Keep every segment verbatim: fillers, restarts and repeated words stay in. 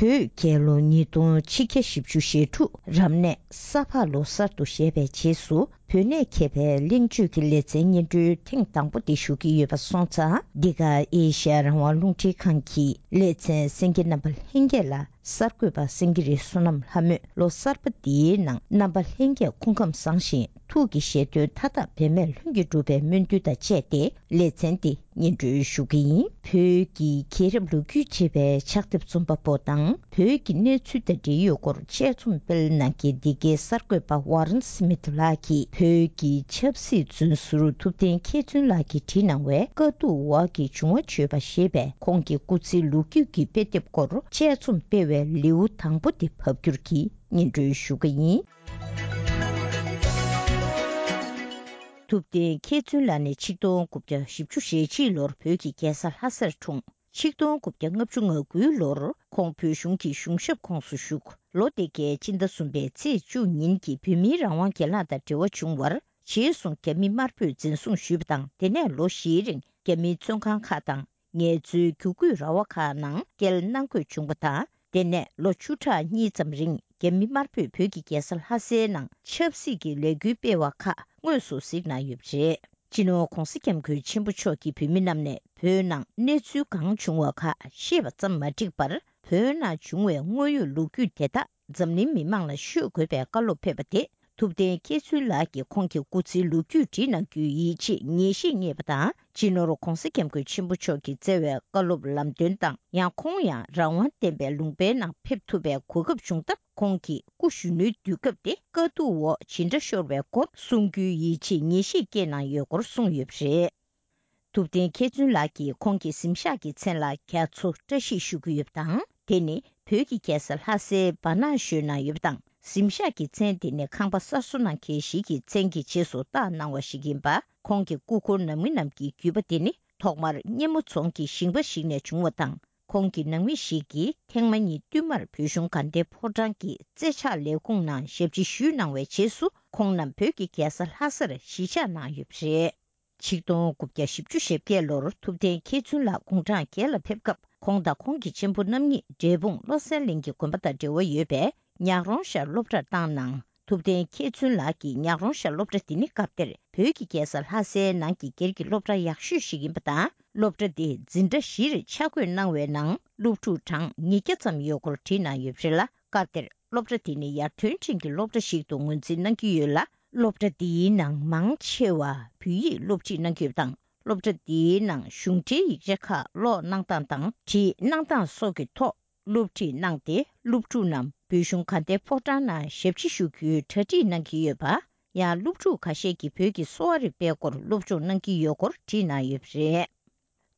བོད་རྒྱལ་ལོ་ཉིས་སྟོང་ཆིག་བརྒྱ་བཞི་བཅུ་ཞེ་དྲུག་རབ་གནས་ས་ཕག་ལོ་གསར་དུ་བཞད་པའི་རྗེས་སུ། བོད་གནས་མཁས་པའི་གླེང་བརྗོད་ཀྱི་ལེ་ཚན་སྙན་སྒྲོན་ཐེངས་དང་པོ་དེ་ཞུ་གི་ཡོད་པ་སོང་ཙང་། འདི་ག་ཨེ་ཤ་ཡ་རང་དབང་རླུང་འཕྲིན་ཁང་གི་ལེ་ཚན་གསན་མཁན་རྣམ་པ་ལྷན་རྒྱས་ལ། གསར་འགོད་པ་སེང་གེ་རི་བསོད་ནམས་ལྷ་མོས་ལོ་གསར་པ་འདིའི་ནང་རྣམ་པ་ལྷན་རྒྱས་སྐུ་ཁམས་བཟང་ཞིང་ཐུགས་ཀྱི་བཞེད་དོན་མཐའ་དག་འབད་མེད་ལྷུན་གྱིས་འགྲུབ་པའི་སྨོན་འདུན་དང་བཅས་ཏེ་ལེ་ཚན་འདི་སྙན་སྒྲོན་ཞུ་གི་ཡིན། བོད་ཀྱི་རྒྱལ་རབས་ལོ་རྒྱུས་ཅེས་པའི་ཕྱག་དེབ་རྩོམ་པ་པོ་དང་བོད་ཀྱི་གནས་ཚུལ་དང་འབྲེལ་ཡོད་སྐོར་དཔྱད་རྩོམ་སྤེལ་གནང་མཁན་འདི་གའི་གསར་འགོད་པ་ཝ་རན་སི་མིཐ་ལགས་ཀྱིས་བོད་ཀྱི་ཆབ་སྲིད་བཙོན་ཟུར་ཐུབ་བསྟན་མཁས་བཙུན་ལགས་ཀྱིས་བྲིས་གནང་བའི་དཀའ་སྡུག་འོག་གི་བྱུང་བ་བརྗོད་པ་ཞེས་པའི་ཁོང་གི་སྐུ་ཚེའི་ལོ་རྒྱུས་ཀྱི་དཔེ་དེབ་སྐོར་དཔྱད་རྩོམ་སྤེལ་བའི་ལེའུ་དང་པོ་དེ་ཕབ་བསྒྱུར་གྱིས་སྙན་སྒྲོན་ཞུ་གི་ཡིན། ཐུབ་བསྟན་མཁས་བཙུན་ལགས་ནི་ཆིག་སྟོང་དགུ་བརྒྱ་བཞི་བཅུ་ཞེ་གཅིག་ལོར་བོད་ཀྱི་རྒྱལ་ས་ལྷ་སར་འཁྲུངས། ཆིག་སྟོང་དགུ་བརྒྱ་ལྔ་བཅུ་ང་དགུའི་ལོར་ཁོང་བོད་གཞུང་གི་གཞུང་ཞབས་ཁོངས་སུ་ཞུགས། ལོ་དེ་གའི་སྤྱི་ཟླ་གསུམ་པའི་ཚེས་བཅུ་ཉིན་གྱི་བོད་མིའི་རང་དབང་གྱེན་ལངས་དང་འབྲེལ་བ་བྱུང་བར། རྗེས་སུ་རྒྱ་མི་དམར་པོས་འཛིན་བཟུང་ཞུས་པ་དང་། དེ་ནས་ལོ་བཞིའི་རིང་རྒྱ་མིའི་བཙོན་ཁང་ཁག་དང་། ངལ་རྩོལ་བསྒྱུར་བཀོད་ར་བ་ཁག་ནང་བསྐྱལ་གནང་དགོས་བྱུང་བ་དང་། དེ་ནས་ལོ་བཅུ་ཕྲག་གཉིས་ཙམ་རིང་རྒྱ་མི་དམར་པོས་བོད་ཀྱི་རྒྱལ་ས་ལྷ་སའི་ནང་ཆབ་སྲིད་ཀྱི་ལས་འགུལ་སྤེལ་བ་ཁག་དངོས་སུ་གཟིགས་གནང་ཡོད་པ་རེད། སྤྱི་ནོར་༧གོང་ས་༧སྐྱབས་མགོན་ཆེན་པོ་མཆོག་གིས་བོད་མི་རྣམས་ནས་བོད་ནང་གནས་ཚུལ་གང་བྱུང་བ་ཁག་ཤེས་པ་ཙམ་མ་འགྲིག་པར། བོད་ནང་བྱུང་བའི་དངོས་ཡོད་ལོ་རྒྱུས་དེ་དག་འཛམ་གླིང་མི་མང་ལ་ཤོད་དགོས་པའི་བཀའ་སློབ་ཕེབས་པ་དེ། ཐུབ་བསྟན་མཁས་བཙུན་ལགས་ཀྱིས་ཁོང་གི་སྐུ་ཚེའི་ལོ་རྒྱུས་བྲིས་གནང་རྒྱུའི་ཡིད་ཆེས་ངེས་ཤེས་རྙེད་པ་དང་། སྤྱི་ནོར་༧གོང་ས་༧སྐྱབས་མགོན་ཆེན་པོ་མཆོག་གིས་བསྩལ་བའི་བཀའ་སློབ་ལམ་སྟོན་དང་། ཡང་ཁོང་ཡང་རང་དབང་ལྡན་པའི་ལུང་པའི་ནང་ཕེབས་ཐུབ་པའི་གོ་སྐབས་བྱུང་སྟབས། ཁོང་གིས་སྐུ་གཞོན་ནུའི་དུས་སྐབས་དེ་དཀའ་སྡུག་འོག་ཇི་འདྲ་ཤོར་བའི་སྐོར་གསུང་རྒྱུའི་ཡིད་ཆེས་ངེས་ཤེས་སྐྱེས་གནང་ཡོད་སྐོར་གསུངས་ཡོད་པ་རེད། ཐུབ་བསྟན་མཁས་བཙུན་ལགས་ཀྱིས་ཁོང་གི་གཟིམ་ཤག་གི་མཚན་ལ་རྒྱ་མཚོ་བཀྲ་ཤིས་ཞུ་གི་ཡོད་པ་དང་། དེ་ནི་བོད་ཀྱི་རྒྱལ་ས་ལྷ་སའི་སྦ་ནག་ཞོལ་ན་ཡོད་པ་དང་། གཟིམ་ཤག་གི་མཚན་དེ་ནི་ཁང་པ་གསར་བཟོ་གནང་མཁན་ཞིག་གི་མཚན་གྱི་རྗེས་སུ་བཏགས་གནང་བ་ཞིག་ཡིན་པ། ཁོང་གི་སྐུ་འཁོར་ནང་མི་རྣམས་ཀྱི་བརྒྱུད་པ་དེ་ནི་ཐོག་མར་སྙེ་མོ་རྫོང་གི་ཞིང་པ་ཞིག་ནས་བྱུང་བ་དང་། ཁོང་གི་ནང་མི་ཞིག་གིས་ཐེངས་མ་གཉིས་བསྟུད་མར་བོད་གཞུང་དགའ་ལྡན་ཕོ་བྲང་གི་རྩེ་ཕྱག་ལས་ཁུངས་ནང་ཞབས་ཕྱི་ཞུས་གནང་བའི་རྗེས་སུ། ཁོང་རྣམས་བོད་ཀྱི་རྒྱལ་ས་ལྷ་སར་གཞིས་ཆགས་གནང་ཡོད་པ་རེད། ཆིག་སྟོང་དགུ་བརྒྱ་བཞི་བཅུ་ཞེ་བརྒྱད་ལོར་ཐུབ་བསྟན་མཁས་བཙུན་ལགས་དགུང་གྲངས་བརྒྱད་ལ་ཕེབས་སྐབས། ཁོང་དང་ཁོང་གི་གཅེན་པོ་རྣམ་གཉིས་འབྲས་སྤུངས་བློ་གསལ་གླིང་གི་དགོན་པ་དང་འབྲེལ་བ་ཡོད་པའི་ཉག་རོང་ཤར་སློབ་གྲྭར་བཏང་གནང་། ཐུབ་བསྟན་མཁས་བཙུན་ལགས་ཀྱི་ཉག་རོང་ཤར་སློབ་གྲྭ་འདི་ནི་སྐབས་དེར་བོད་ཀྱི་རྒྱལ་ས་ལྷ་སའི་ནང་གི་སྒེར་གྱི་སློབ་གྲྭ་ཡག་ཤོས་ཤིག་ཡིན་པ་དང་། སློབ་གྲྭ་འདི་འཛིན་གྲྭ་བཞིར་ཆ་བགོས་གནང་བའི་ནང་སློབ་ཕྲུག་གྲངས་ཉིས་བརྒྱ་ཙམ་ཡོད་སྐོར་བྲིས་གནང་ཡོད་པ་རེད་ལ། སྐབས་དེར་སློབ་གྲྭ་འདི་ནི་ཡར་ཐོན་ཅན་གྱི་སློབ་གྲྭ་ཞིག་ཏུ་ངོས་འཛིན་གནང་གི་ཡོད་ལ། སློབ་གྲྭ་འདིའི་ནང་མང་ཆེ་བ་བོད་ཡིག་སློབ་ཁྲིད་གནང་གི་ཡོད་པ་དང་། སློབ་གྲྭ་འདིའི་ནང་གཞུང་འབྲེལ་ཡིག་ཆ་ཁག་ཀློག་གནང་སྟངས་དང་བྲིས་གནང་སྟངས་སོགས་ཀྱི་ཐོག་སློབ་ཁྲིད་གནང་སྟེ། སློབ་ཕྲུག་རྣམས་བོད་གཞུང་དགའ་ལྡན་ཕོ་བྲང་ནང་ཞབས་ཕྱི་ཞུ་རྒྱུའི་གྲ་སྒྲིག་གནང་གི་ཡོད་པ། ཡང་སློབ་ཕྲུག་ཁ་ཤས་ཀྱིས་བོད་ཀྱི་གསོ་བ་རིག་པའི་སྐོར་སློབ་སྦྱོང་གནང་གི་ཡོད་སྐོར་བྲིས་གནང་ཡོད་པ་རེད།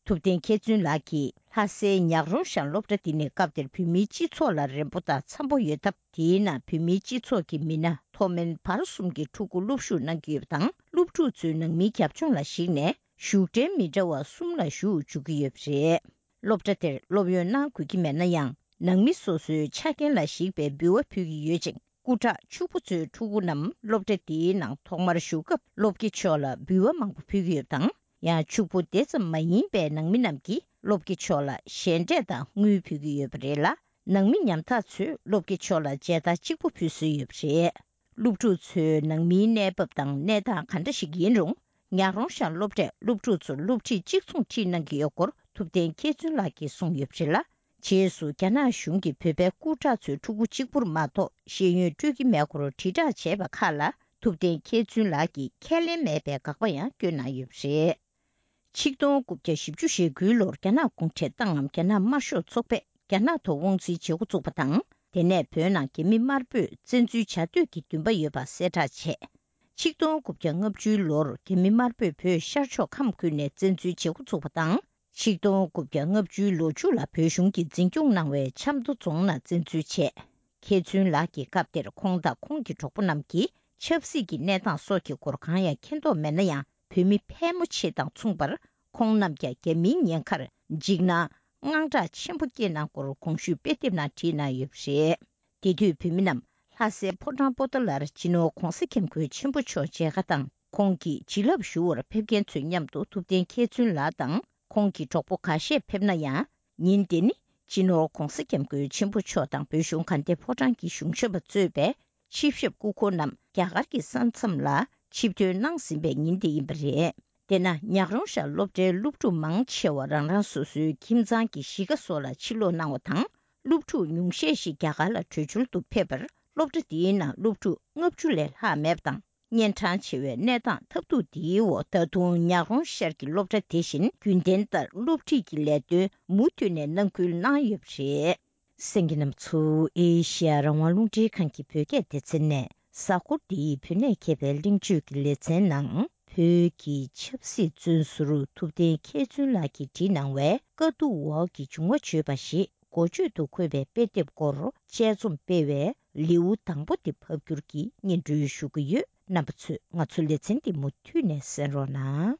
ཐུབ་བསྟན་མཁས་བཙུན་ལགས་ཀྱིས་ལྷ་སའི་ཉག་རོང་ཤར་སློབ་གྲྭ་འདི་ནི་སྐབས་དེར་བོད་མིའི་སྤྱི་ཚོགས་ལ་རན་པོ་དང་འཚམ་པོ་ཡོད་སྟབས། དེའི་ནང་བོད་མིའི་སྤྱི་ཚོགས་ཀྱི་མི་སྣ་མཐོ་དམན་བར་གསུམ་གྱི་ཕྲུ་གུ་སློབ་ཞུགས་གནང་གི་ཡོད་པ་དང་། སློབ་ཕྲུག་ཚོའི་ནང་མིའི་རྒྱབ་ལྗོངས་ལ་གཞིགས་ནས་བཞུགས་གྲལ་མི་འདྲ་བ་གསུམ་ལ་བཞུགས་འཇུག་གི་ཡོད་པ་རེད། སློབ་གྲྭ་དེར་སློབ་ཡོན་གནང་དགོས་ཀྱི་མེད་ན་ཡང་། ནང་མི་སོ་སོའི་ཆ་རྐྱེན་ལ་གཞིགས་པའི་འབུལ་བ་ཕུལ་གྱི་ཡོད་ཅིང་། སྐུ་དྲག་ཕྱུག་པོ་ཚོའི་ཕྲུ་གུ་རྣམས་སློབ་གྲྭ་འདིའི་ནང་ཐོག་མར་ཞུགས་སྐབས། སློབ་དགེ་མཆོག་ལ་འབུལ་བ་མང་པོ་ཕུལ་གྱི་ཡོད་པ་དང་། ཡང་ཕྱུག་པོ་དེ་ཙམ་མ་ཡིན་པའི་ནང་མི་རྣམས་ཀྱིས་སློབ་དགེ་མཆོག་ལ་ཞལ་འབྲས་དང་དངུལ་ཕུལ་གྱི་ཡོད་པ་རེད་ལ། ནང་མི་ཉམ་ཐག་ཚོས་སློབ་དགེ་མཆོག་ལ་མཇལ་དར་གཅིག་པུ་ཕུལ་སྲོལ་ཡོད་པ་རེད། སློབ་ཕྲུག་ཚོའི་ནང་མིའི་གནས་བབ་དང་གནས་སྟངས་ག་འདྲ་ཞིག་ཡིན་རུང་། ཉག་རོང་ཤར་སློབ་གྲྭས་སློབ་ཕྲུག་ཚོར་སློབ་ཁྲིད་གཅིག་མཚུངས་ཁྲིད་གནང་གི་ཡོད་སྐོར་ཐུབ་བསྟན་མཁས་བཙུན་ལགས་ཀྱིས་གསུངས་ཡོད་པ་རེད་ལ། རྗེས་སུ་རྒྱ་ནག་གཞུང་གིས་བོད་པའི་སྐུ་དྲག་ཚོའི་ཕྲུ་གུ་གཅིག་པུར་མ་གཏོགས་ཤེས་ཡོན་སྤྲོད་ཀྱི་མེད་སྐོར་དྲིལ་བསྒྲགས་བྱས་པ་ཁག་ལ། ཐུབ་བསྟན་མཁས་བཙུན་ལགས་ཀྱིས་ཁས་ལེན་མེད་པའི་དགག་པ་ཡང་བསྐྱོན་གནང་ཡོད་པ་རེད། ཆིག་སྟོང་དགུ་བརྒྱ་བཞི་བཅུ་ཞེ་དགུའི་ལོར་རྒྱ་ནག་གུང་ཁྲན་ཏང་ངམ་རྒྱ་ནག་དམར་ཤོག་ཚོགས་པས་རྒྱ་ནག་ཐོག་དབང་འཛིན་བྱེད་འགོ་བཙུགས་པ་དང་། དེ་ནས་བོད་ནང་རྒྱ་མི་དམར་པོས་བཙན་འཛུལ་བྱ་འདོད་ཀྱི་འདུན་པ་ཡོད་པ་གསལ་བསྒྲགས་བྱས། ཆིག་སྟོང་དགུ་བརྒྱ་ལྔ་བཅུའི་ལོར་རྒྱ་མི་དམར་པོས་བོད་ཤར་ཕྱོགས་ཁམས་ཁུལ་ནས་བཙན་འཛུལ་བྱེད་འགོ་བཙུགས་པ་དང་། ཆིག་སྟོང་དགུ་བརྒྱ་ལྔ་བཅུའི་ལོ་མཇུག་ལ་བོད་གཞུང་གིས་འཛིན་སྐྱོང་གནང་བའི་ཆབ་མདོ་རྫོང་ནང་བཙན་འཛུལ་བྱས། མཁས་བཙུན་ལགས་ཀྱིས་སྐབས་དེར་ཁོང་དང་ཁོང་གི་གྲོགས་པོ་རྣམས་ཀྱིས་ཆབ་སྲིད་ཀྱི་གནས་སྟངས་སོགས་ཀྱི་སྐོར་གང་ཡང་མཁྱེན་རྟོགས་མེད་ན་ཡང་། བོད་མི་ཕལ་མོ་ཆེ་དང་མཚུངས་པར། ཁོང་རྣམས་ཀྱང་རྒྱ་མིའི་ཉེན་ཁར་འཇིགས་སྣང་དངངས་སྐྲག་ཆེན་པོ་སྐྱེས་གནང་སྐོར་གོང་ཞུས་དཔེ་དེབ་ནང་བྲིས་གནང་ཡོད་པ་རེད། དེ་དུས་བོད་མི་རྣམས་ལྷ་སའི་ཕོ་བྲང་པོ་ཏཱ་ལར་སྤྱི་ནོར་༧གོང་ས་༧སྐྱབས་མགོན་ཆེན་པོ་མཆོག་མཇལ་ཁ་དང་། ཁོང་གི་བྱིན་རླབས་ཞུ་བར་ཕེབས་མཁན་ཚོའི་མཉམ་དུ་ཐུབ་བསྟན་མཁས་བཙུན་ལགས་དང་ཁོང་གི་གྲོགས་པོ་ཁ་ཤས་ཕེབས་ན་ཡང་། ཉིན་དེ་ནི་ སྤྱི་ནོར་༧གོང་ས་༧སྐྱབས་མགོན་ཆེན་པོ་མཆོག་དང་བོད་གཞུང་དགའ་ལྡན་ཕོ་བྲང་གི་གཞུང་ཞབས་པ་གཙོས་པའི་ཆིབས་ཞབས་སྐུ་འཁོར་རྣམས་རྒྱ་གར་གྱི་ས་མཚམས་ལ་ཆིབས་ཐོན་གནང་ཟིན་པའི་ཉིན་དེ་ཡིན་པ་རེད། དེས་ན་ཉག་རོང་ཤར་སློབ་གྲྭའི་སློབ་ཕྲུག་མང་ཆེ་བ་རང་རང་སོ་སོའི་ཁྱིམ་ཚང་གི་གཞིས་ཀ་སོགས་ལ་ཕྱིར་ལོག་གནང་བ་དང་། སློབ་ཕྲུག་ཉུང་ཤས་ཤིག་རྒྱ་གར་ལ་བྲོས་བྱོལ་དུ་ཕེབས་པར། སློབ་གྲྭ་འདིའི་ནང་སློབ་ཕྲུག་ལྔ་བཅུ་ལས་ལྷག་མེད་པ་དང་། གཉན་འཕྲང་ཆེ་བའི་གནས་སྟངས་ཐབས་སྡུག་འདིའི་འོག་ད་དུང་ཉག་རོང་ཤར་གྱི་སློབ་གྲྭ་དེ་བཞིན་རྒྱུན་ལྡན་ལྟར་སློབ་ཁྲིད་ཀྱི་ལས་དོན་མུ་མཐུད་ནས་གནང་ཁུལ་གནང་ཡོད་པ་རེད། གསན་མཁན་རྣམ་པ་ཚོ་ཨེ་ཤེ་ཡ་རང་དབང་རླུང་འཕྲིན་ཁང་གི་བོད་སྐད་སྡེ་ཚན་ནས། གཟའ་འཁོར་འདིའི་བོད་གནས་མཁས་པའི་གླེང་བརྗོད་ཀྱི་ལེ་ཚན་ནང་། བོད་ཀྱི་ཆབ་སྲིད་བཙོན་ཟུར་ཐུབ་བསྟན་མཁས་བཙུན་ལགས་ཀྱིས་བྲིས་གནང་བའི་དཀའ་སྡུག་འོག་གི་འབྱུང་བ་བརྗོད་པ་ཞེས་འགོ་བརྗོད་དུ་འཁོད་པའི་དཔེ་དེབ་སྐོར་དཔྱད་རྩོམ་སྤེལ་བའི་ལེའུ་དང་པོ་དེ་ཕབ་བསྒྱུར་གྱིས་སྙན་སྒྲོན་ཞུ་གི་ཡོད། རྣམ་པ་ཚོས་ང་ཚོའི་ལེ་ཚན་འདི་མུ་མཐུད་ནས་གསན་རོགས་གནང་།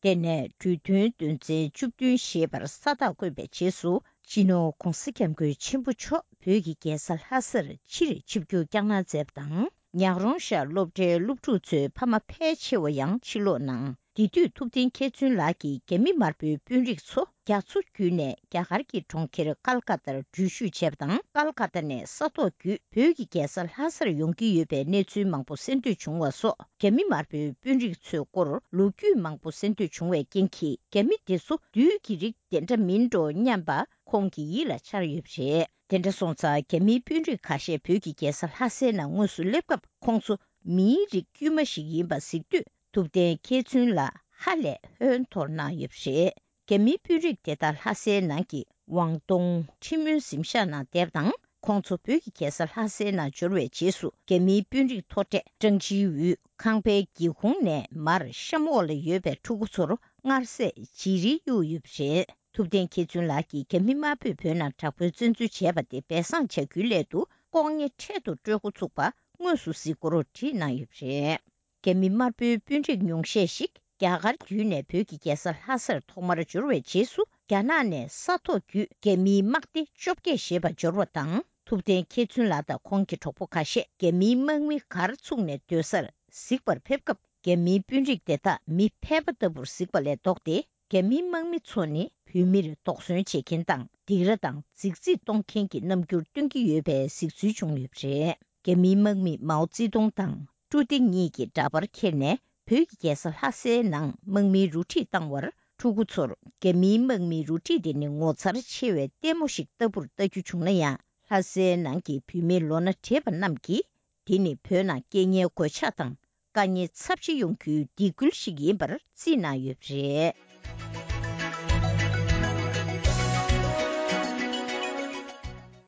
དེ་ནས་གྲོས་མཐུན་དོན་ཚན་བཅུ་བདུན་ཞེས་པར་ས་རྟགས་བཀོད་པའི་རྗེས་སུ། སྤྱི་ནོར་༧གོང་ས་༧སྐྱབས་མགོན་ཆེན་པོ་མཆོག་བོད་ཀྱི་རྒྱལ་ས་ལྷ་སར་ཕྱིར་ཆིབས་བསྒྱུར་བསྐྱངས་གནང་མཛད་པ་དང་། ཉག་རོང་ཤར་སློབ་གྲྭའི་སློབ་ཕྲུག་ཚོའི་ཕ་མ་ཕལ་ཆེ་བ་ཡང་ཕྱིར་ལོག་གནང་། དེ་དུས་ཐུབ་བསྟན་མཁས་བཙུན་ལགས་ཀྱིས་རྒྱ་མི་དམར་པོའི་དཔོན་རིགས་ཚོ་རྒྱ་མཚོ་བརྒྱུད་ནས་རྒྱ་གར་གྱི་གྲོང་ཁྱེར་ཀལ་ཀ་ཏར་འགྲུལ་བཞུད་བྱས་པ་དང་། ཀལ་ཀ་ཏ་ནས་ས་ཐོག་བརྒྱུད་བོད་ཀྱི་རྒྱལ་ས་ལྷ་སར་ཡོང་གི་ཡོད་པའི་གནས་ཚུལ་མང་པོ་གསན་ཐོས་བྱུང་བ་སོགས། རྒྱ་མི་དམར་པོའི་དཔོན་རིགས་ཚོའི་སྐོར་ལོ་རྒྱུས་མང་པོ་གསན་ཐོས་བྱུང་བའི་རྐྱེན་གྱིས། རྒྱ་མི་འདི་ཚོ་བདུད་ཀྱི་རིགས་དེ་འདྲ་མིན་འགྲོ་སྙམ་པ་ཁོང་གི་ཡིད་ལ་འཆར་ཡོད་པ་རེད། དེ་འདྲ་སོང་ཙང་། རྒྱ་མིའི་དཔོན་རིགས་ཁ་ཤས་བོད་ཀྱི་རྒྱལ་ས་ལྷ་སའི་ནང་དངོས་སུ་སླེབས་སྐབས། ཁོང་ཚོ་མིའི་རིགས་དཀྱུས་མ་ཞིག་ཡིན་པ་གཟིགས་དུས། ཐུབ་བསྟན་མཁས་བཙུན་ལགས་ཧ་ལས་ཧོན་འཐོར་གནང་ཡོད་པ་རེད། རྒྱ་མིའི་དཔོན་རིགས་དེ་དག་ལྷ་སའི་ནང་གི་ཝང་ཏུང་ཁྲི་སྨོན་གཟིམ་ཤག་ནང་བསྡད་པ་དང་། ཁོང་ཚོ་བོད་ཀྱི་རྒྱལ་ས་ལྷ་སའི་ནང་འབྱོར་བའི་རྗེས་སུ། རྒྱ་མིའི་དཔོན་རིགས་མཐོ་གྲས་ཀྲང་ཅི་ཝུའུ་ཁང་པའི་སྒེའུ་ཁུང་ནས་མར་གཤམ་འོག་ལ་ཡོད་པའི་ཕྲུ་གུ་ཚོར་མངར་ཟས་བརྗེ་རིལ་གཡུགས་ཡོད་པ་རེད། ཐུབ་བསྟན་མཁས་བཙུན་ལགས་ཀྱིས་རྒྱ་མི་དམར་པོས་བོད་ནང་དྲག་པོའི་བཙན་འཛུལ་བྱས་པ་དེ་སྦས་གསང་བྱ་རྒྱུའི་སླད་དུ། ལྐོག་རྔན་འཕྲལ་དུ་སྤྲོད་འགོ་ཚུགས་པ་དངོས་སུ་གཟིགས་སྐོར་བྲིས་གནང་ཡོད་པ་རེད། རྒྱ་མི་དམར་པོའི་དཔོན་རིགས་ཉུང་ཤས་ཤིག་རྒྱ་གར་བརྒྱུད་ནས་བོད་ཀྱི་རྒྱལ་ས་ལྷ་སར་ཐོག་མར་འབྱོར་བའི་རྗེས་སུ། རྒྱ་ནག་ནས་ས་ཐོག་བརྒྱུད་རྒྱ་མིའི་དམག་སྡེ་བཅོ་བརྒྱད་ཞེས་པ་འབྱོར་བ་དང་། ཐུབ་བསྟན་མཁས་བཙུན་ལགས་དང་ཁོང་གི་གྲོགས་པོ་ཁ་ཤས་རྒྱ་མིའི་དམག་མི་གར་ཚུགས་ནས་སྡོད་སར་གཟིགས་པར་ཕེབས་སྐབས། རྒྱ་མིའི་དཔོན་རིགས་དེ་དག་མི་ཕལ་པ་ལྟ་བུར་གཟིགས་པ་ལས་ལྡོག་སྟེ། རྒྱ་མིའི་དམག་མི་ཚོ་ནི་བོད་མིར་དོགས་ཟོན་བྱེད་མཁན་དང་། སྡིགས་ར་དང་རྫིག་རྫིག་གཏོང་མཁན་གྱི་རྣམ་འགྱུར་སྟོན་གྱི་ཡོད་པའི་གཟིགས་ཚུལ་བྱུང་ཡོད་པ་རེད། རྒྱ་མིའི་དམག་མིས་མའོ་ཙེ་ཏུང་དང་ཀྲུའུ་ཏེ་གཉིས་ཀྱི་འདྲ་པར་ཁྱེར་ནས། བོད་ཀྱི་རྒྱལ་ས་ལྷ་སའི་ནང་དམག་མིའི་རུ་ཁྲིད་བཏང་བར། ཕྲུ་གུ་ཚོར་རྒྱ་མིའི་དམག་མིའི་རུ་ཁྲིད་དེ་ནི་ངོ་མཚར་ཆེ་བའི་ལྟད་མོ་ཞིག་ལྟ་བུར་ལྟ་རྒྱུ་བྱུང་ན་ཡང་། ལྷ་སའི་ནང་གི་བོད་མི་ལོ་ན་བགྲེས་པ་རྣམས་ཀྱིས། དེ་ནི་བོད་ནང་རྐྱེན་ངན་གོད་ཆག་དང་དཀའ་ངལ་ཚབས་ཆེ་ཡོང་རྒྱུའི་སྡིགས་སྐུལ་ཞིག་ཡིན་པར་བརྩིས་གནང་ཡོད་པ་རེད།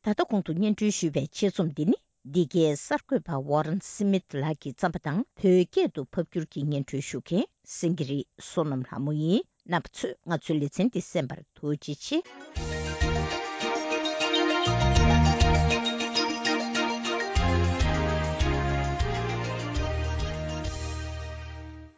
ད་ལྟ་གོང་དུ་སྙན་སྒྲོན་ཞུས་པའི་ཆེད་རྩོམ་འདི་ནི། འདི་གའི་གསར་འགོད་པ་ཝོ་རན་སི་མིད་ལགས་ཀྱིས་བརྩམས་པ་དང་། བོད་སྐད་དུ་ཕབ་བསྒྱུར་གྱིས་སྙན་སྒྲོན་ཞུ་མཁན་སེང་གེ་རི་བསོད་ནམས་ལྷ་མོ་ཡིན། རྣམ་པ་ཚོས་ང་ཚོའི་ལེ་ཚན་འདི་གསན་པར་ཐུགས་རྗེ་ཆེ།